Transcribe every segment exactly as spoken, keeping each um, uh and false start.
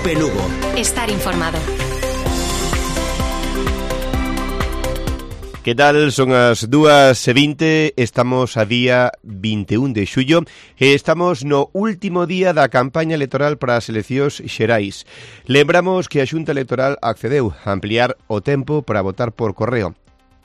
Cope Lugo. Estar informado. Que tal? Son as dúas e vinte, estamos a día vinte e un de xullo e estamos no último día da campaña electoral para as eleccións xerais. Lembramos que a Xunta Electoral accedeu a ampliar o tempo para votar por correo.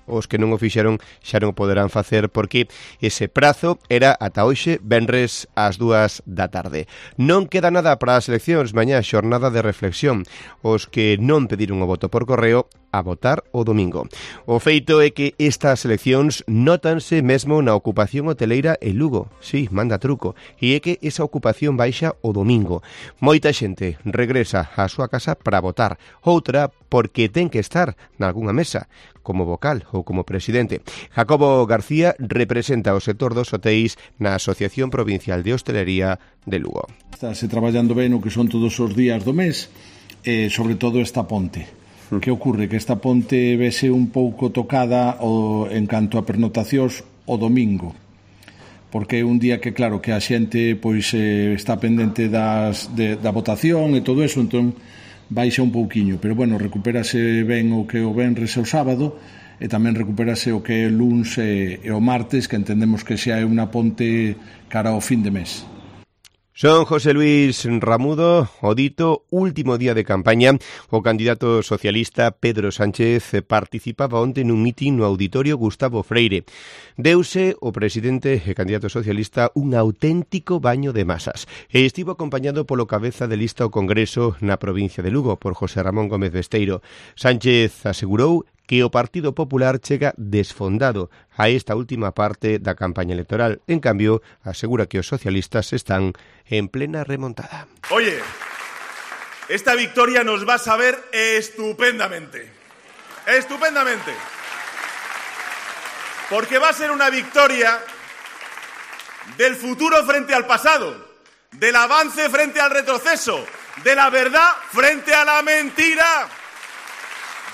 Os que non o fixeron xa non o poderán facer porque ese prazo era ata hoxe, venres ás dúas da tarde. Non queda nada para as eleccións, mañá xornada de reflexión. Os que non pediron o voto por correo a votar o domingo. O feito é que estas eleccións nótanse mesmo na ocupación hoteleira en Lugo. Sí, manda truco. E é que esa ocupación baixa o domingo. Moita xente regresa á súa casa para votar. Outra porque ten que estar nalgunha mesa, como vocal ou como presidente. Jacobo García representa o sector dos hotéis na Asociación Provincial de Hostelería de Lugo. Estáse traballando ben o que son todos os días do mes, e sobre todo esta ponte. Que ocorre? Que esta ponte vese un pouco tocada o, en canto a pernotacións o domingo, porque é un día que, claro, que a xente pois eh, está pendente das, de, da votación e todo eso, entón baixa un pouquiño, pero bueno, recupérase ben o que o venres e o sábado, e tamén recupérase o que é o luns e, e o martes, que entendemos que xa é unha ponte cara ao fin de mes. Son José Luis Ramudo, o dito último día de campaña. O candidato socialista Pedro Sánchez participaba onte nun mitin no auditorio Gustavo Freire. Deuse o presidente e candidato socialista un auténtico baño de masas e estivo acompañado polo cabeza de lista ao Congreso na provincia de Lugo, por José Ramón Gómez Besteiro. Sánchez asegurou que o Partido Popular chega desfondado a esta última parte da campaña electoral. En cambio, asegura que os socialistas están en plena remontada. Oye, esta victoria nos va a saber estupendamente. Estupendamente. Porque va a ser una victoria del futuro frente al pasado, del avance frente al retroceso, de la verdad frente a la mentira.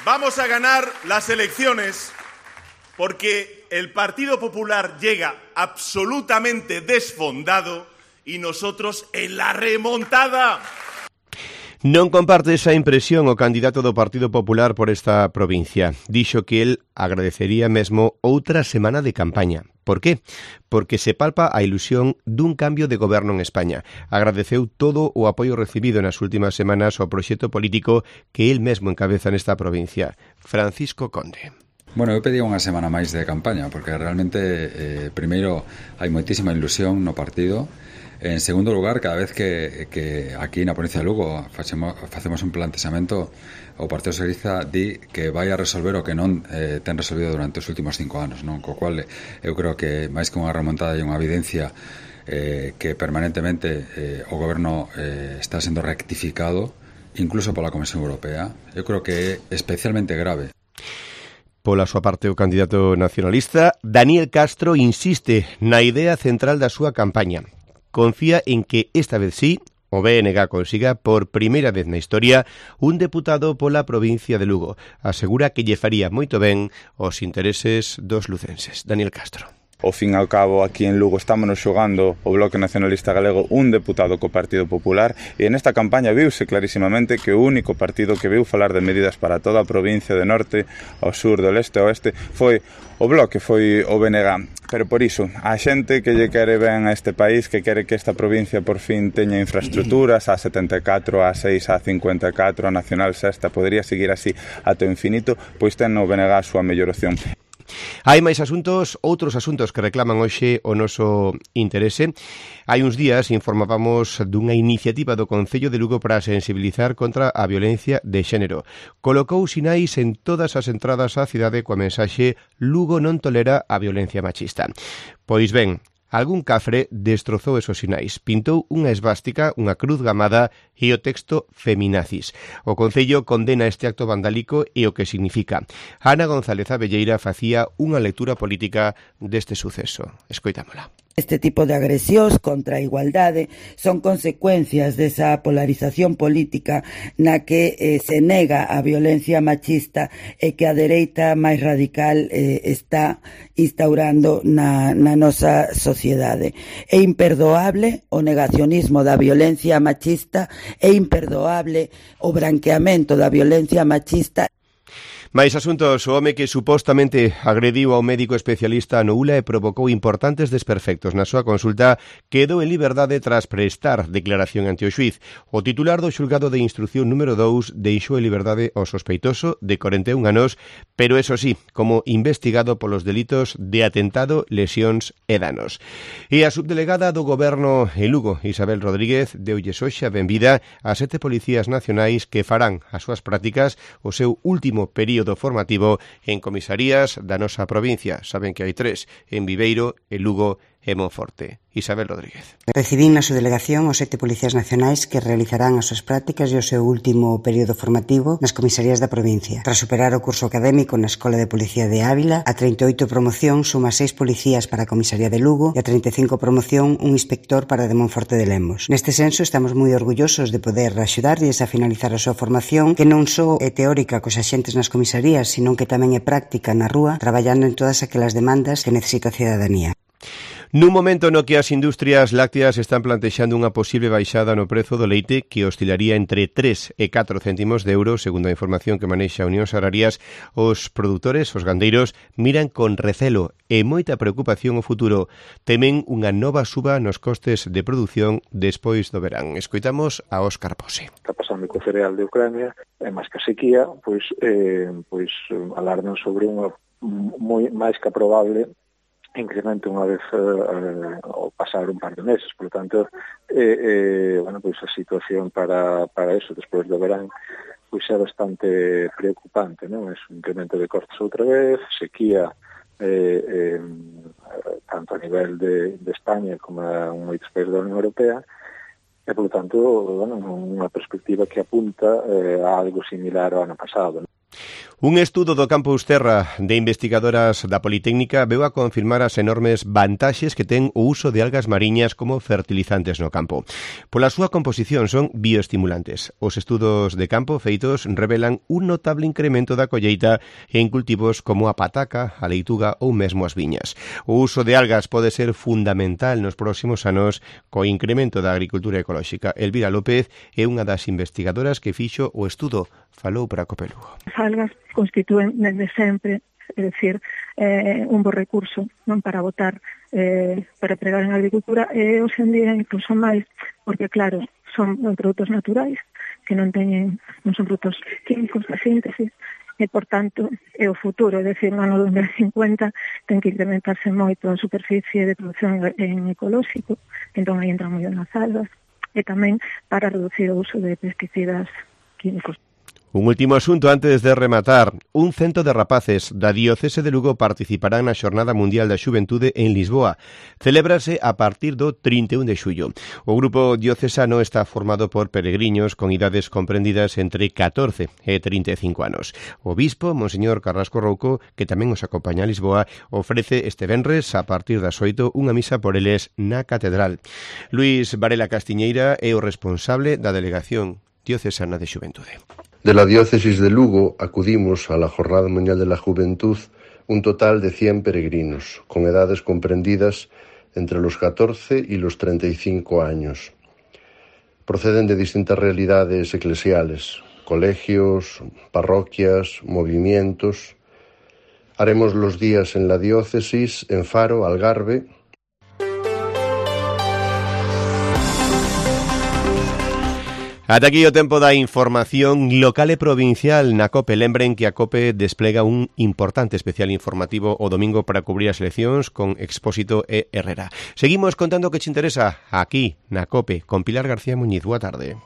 Vamos a ganar las elecciones porque el Partido Popular llega absolutamente desfondado y nosotros en la remontada. Non comparte esa impresión o candidato do Partido Popular por esta provincia. Dixo que el agradecería mesmo outra semana de campaña. Por qué? Porque se palpa a ilusión dun cambio de goberno en España. Agradeceu todo o apoio recibido nas últimas semanas ao proxecto político que el mesmo encabeza nesta provincia. Francisco Conde. Bueno, eu pedía unha semana máis de campaña, porque realmente, eh, primeiro, hai moitísima ilusión no partido. En segundo lugar, cada vez que, que aquí na provincia de Lugo facemos, facemos un plantexamento, o Partido Socialista di que vai a resolver o que non eh, ten resolvido durante os últimos cinco anos, non? Co cual eu creo que máis que unha remontada e unha evidencia eh, que permanentemente eh, o goberno eh, está sendo rectificado, incluso pola Comisión Europea. Eu creo que é especialmente grave. Pola súa parte, o candidato nacionalista Daniel Castro insiste na idea central da súa campaña. Confía en que esta vez sí o B N G consiga por primeira vez na historia un deputado pola provincia de Lugo. Asegura que lle faría moito ben os intereses dos lucenses. Daniel Castro. Ao fin e ao cabo, aquí en Lugo estámonos xogando o Bloque Nacionalista Galego un deputado co Partido Popular e nesta campaña viuse clarísimamente que o único partido que viu falar de medidas para toda a provincia de norte ao sur, do leste ao oeste foi o Bloque, foi o B N G. Pero por iso, a xente que lle quere ben a este país, que quere que esta provincia por fin teña infraestructuras, a setenta e catro, a seis, a cincuenta e catro, a Nacional Sexta, podería seguir así ata o infinito, pois ten no B N G a súa mellor opción. Hai máis asuntos, outros asuntos que reclaman hoxe o noso interese. Hai uns días informábamos dunha iniciativa do Concello de Lugo para sensibilizar contra a violencia de xénero. Colocou sinais en todas as entradas á cidade coa mensaxe Lugo non tolera a violencia machista. Pois ben, algún cafre destrozou esos sinais, pintou unha esvástica, unha cruz gamada e o texto feminazis. O Concello condena este acto vandálico e o que significa. Ana González Abelleira facía unha lectura política deste suceso. Escoitámola. Este tipo de agresións contra a igualdade son consecuencias desa polarización política na que eh, se nega a violencia machista e que a dereita máis radical eh, está instaurando na, na nosa sociedade. É imperdoable o negacionismo da violencia machista, é imperdoable o branqueamento da violencia machista. Mais asuntos, o home que supostamente agrediu ao médico especialista no U L A e provocou importantes desperfectos na súa consulta quedou en liberdade tras prestar declaración ante o xuiz. O titular do xulgado de instrucción número dous deixou en liberdade o sospeitoso de corenta e un anos, pero eso sí, como investigado polos delitos de atentado, lesións e danos. E a subdelegada do Goberno en Lugo, Isabel Rodríguez, deulles hoxe a benvida a sete policías nacionais que farán as súas prácticas o seu último período formativo en comisarías da nosa provincia. Saben que hai tres, en Viveiro, en Lugo e Monforte. Isabel Rodríguez. Recibín na subdelegación os sete policías nacionais que realizarán as súas prácticas e o seu último período formativo nas comisarías da provincia. Tras superar o curso académico na Escola de Policía de Ávila, a treinta e oito promoción suma seis policías para a comisaría de Lugo e a treinta e cinco promoción un inspector para a de Monforte de Lemos. Neste senso, estamos moi orgullosos de poder axudarlles a finalizar a súa formación, que non só é teórica cos axentes nas comisarías, sino que tamén é práctica na rúa, traballando en todas aquelas demandas que necesita a cidadanía. Nun momento no que as industrias lácteas están plantexando unha posible baixada no prezo do leite que oscilaría entre tres e catro céntimos de euro, segundo a información que manexa Unións Agrarias, os produtores, os gandeiros, miran con recelo e moita preocupación o futuro. Temen unha nova suba nos costes de produción despois do verán. Escoitamos a Óscar Pose. Está pasando co cereal de Ucrania, e máis que a sequía, pois, eh, pois alardan sobre unha moi máis que probable incremento unha vez eh, ao pasar un par de meses. Por lo tanto, eh, eh, bueno, pois a situación para, para eso, despois do verán, pois é bastante preocupante, non? É un incremento de costes outra vez, sequía, eh, eh, tanto a nivel de, de España como a moitos países da Unión Europea, e, por lo tanto, bueno, unha perspectiva que apunta eh, a algo similar ao ano pasado, non? Un estudo do Campus Terra de investigadoras da Politécnica veu a confirmar as enormes vantaxes que ten o uso de algas mariñas como fertilizantes no campo. Pola súa composición son bioestimulantes. Os estudos de campo feitos revelan un notable incremento da colleita en cultivos como a pataca, a leituga ou mesmo as viñas. O uso de algas pode ser fundamental nos próximos anos co incremento da agricultura ecolóxica. Elvira López é unha das investigadoras que fixo o estudo. Falou para Copelugo. As algas constitúen desde sempre, é dicir, eh, un bo recurso non para botar, eh, para pregar en agricultura, e hoxe en día incluso máis, porque claro, son produtos naturais que non teñen, non son produtos químicos da síntesis, e por tanto é o futuro, é dicir, no ano dos mil cincuenta ten que incrementarse moito a superficie de produción en ecolóxico, entón aí entran moi nas algas, e tamén para reducir o uso de pesticidas químicos. Un último asunto antes de rematar. Un cento de rapaces da Diocese de Lugo participarán na Xornada Mundial da Xuventude en Lisboa. Celébrase a partir do trinta e un de xullo. O grupo diocesano está formado por peregriños con idades comprendidas entre catorce e trinta e cinco anos. O bispo, Monseñor Carrasco Rouco, que tamén os acompaña a Lisboa, ofrece este venres a partir das oito unha misa por eles na Catedral. Luís Varela Castiñeira é o responsable da Delegación Diocesana de Xuventude. De la diócesis de Lugo acudimos a la Jornada Mundial de la Juventud un total de cien peregrinos, con edades comprendidas entre los catorce y los treinta y cinco años. Proceden de distintas realidades eclesiales, colegios, parroquias, movimientos. Haremos los días en la diócesis, en Faro, Algarve. Ata aquí o tempo da información local e provincial na COPE. Lembren que a COPE desplega un importante especial informativo o domingo para cubrir as eleccións con Expósito e Herrera. Seguimos contando o que te interesa aquí na COPE con Pilar García Muñiz. Boa tarde.